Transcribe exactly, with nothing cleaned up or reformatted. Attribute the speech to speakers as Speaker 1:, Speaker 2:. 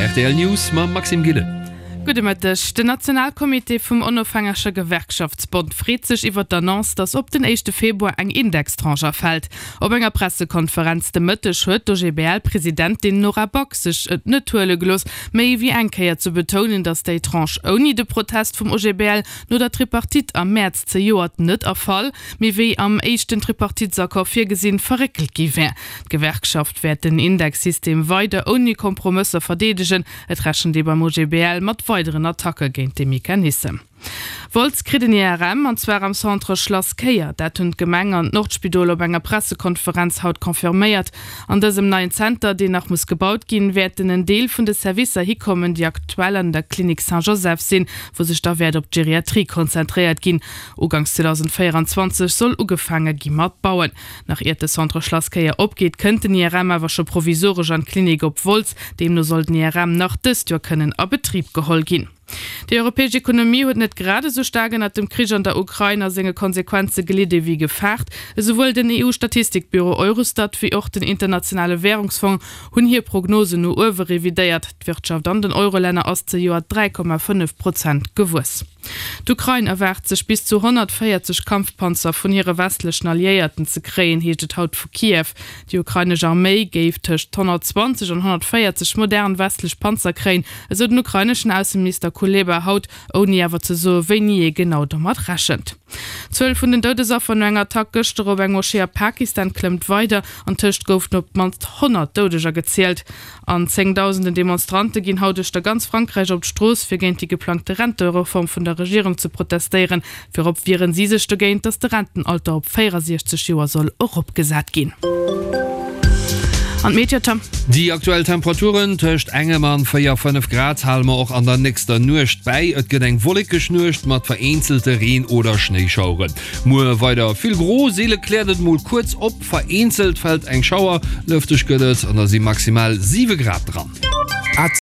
Speaker 1: Rtl News mam Maxime Gillen.
Speaker 2: Gudde Mëtteg. Den Nationalcomité vum Onofhängege Gewerkschaftsbond freet sech iwwer d'Annonce, datt op den éischte Februar eng Indextranche erfält. Op enger Pressekonferenz de Mëtteg huet d'OGBL-Presidentin Nora Back sech et net huele gelooss, méi wéi eng Kéier ze betounen, datt déi Tranche ouni de Protest vum OGBL no der Tripartite am Mäerz zejoert net erfall, mee wéi am éischten Tripartitesaccord virgesinn, verréckelt gi wär. D'Gewerkschaft wäert den Indexsystem weider ouni Kompromësser verdeedegen. Et rechent ee beim OGBL mat weideren Attacke géint dee Mechanissem. Wolz kritt en I R M, an zwar am Centre Schlass Kéier. Dat hunn d'Gemeng an d'Nordspidol op enger Pressekonferenz haut confirméiert. An dësem neien Zenter, deen nach muss gebaut ginn, wäerten en Deel vun de Servicer hikommen, déi aktuell an der Klinik Saint-Joseph sinn, wou sech da wäert op d'Geriatrie konzentréiert ginn. Uganks zweedausendvéierenzwanzeg soll ugefaange gi mat bauen. Nach iert de Centre Schlass Kéier opgeet, kënnt den I R M awer scho provisoresch an d'Klinik op Wolz. Deemno soll den I R M nach dëst Joer kënnen a Betrib geholl ginn. Déi europäesch Ekonomie huet net grad esou staark ënnert dem Krich an der Ukrain a senge Konsequenze gelidde wéi gefaart. Esouwuel den E U-Statistikbüro Eurostat wéi och den Internationale Wärungsfong hunn hir Prognosen no uewe revidéiert. D'Wirtschaft an den Eurolänner ass zejoert dräi Komma fënnef Prozent gewuess. D'Ukrain erwaart sech bis zu honnertvéierzeg Kampfpanzer vun hire westlechen Alliéierten ze kréien, heescht et haut vu Kiew. Déi ukrainesch Arméi géif tëscht honnertzwanzeg an honnertvéierzeg modern westlech Panzer kréien, esou den ukraineschen Ausseminister Kuleba haut, ouni awer ze soe wéini ee genau domat rechent. D'Zuel vun den Doudesaffer no enger Attack gëschter op eng Moschee a Pakistan klëmmt weider, antëscht goufen op d'mannst honnert Doudeger gezielt. An zéngdausenden Demonstrante ginn haut uechter ganz Frankräich op d'Strooss, fir géint déi geplangte Rentereform vun der Regierung ze protestéieren. Virop wieren si sech dogéint, datt de Rentenalter op véierundsechzeg Joer soll eropgesat ginn. An d'Meteotem.
Speaker 1: Déi aktuell Temperaturen tëscht engem an véier, fënnef Grad hale mer och an der nächster Nuecht bäi. Et gëtt eng wollekeg Nuecht mat vereenzelte Reen oder Schnéischaueren. Muer weider vill gro, seele kläert et mol kuerz op, vereenzelt fält eng Schauer. Lëfteg gëtt et an da si maximal siwe Grad dran.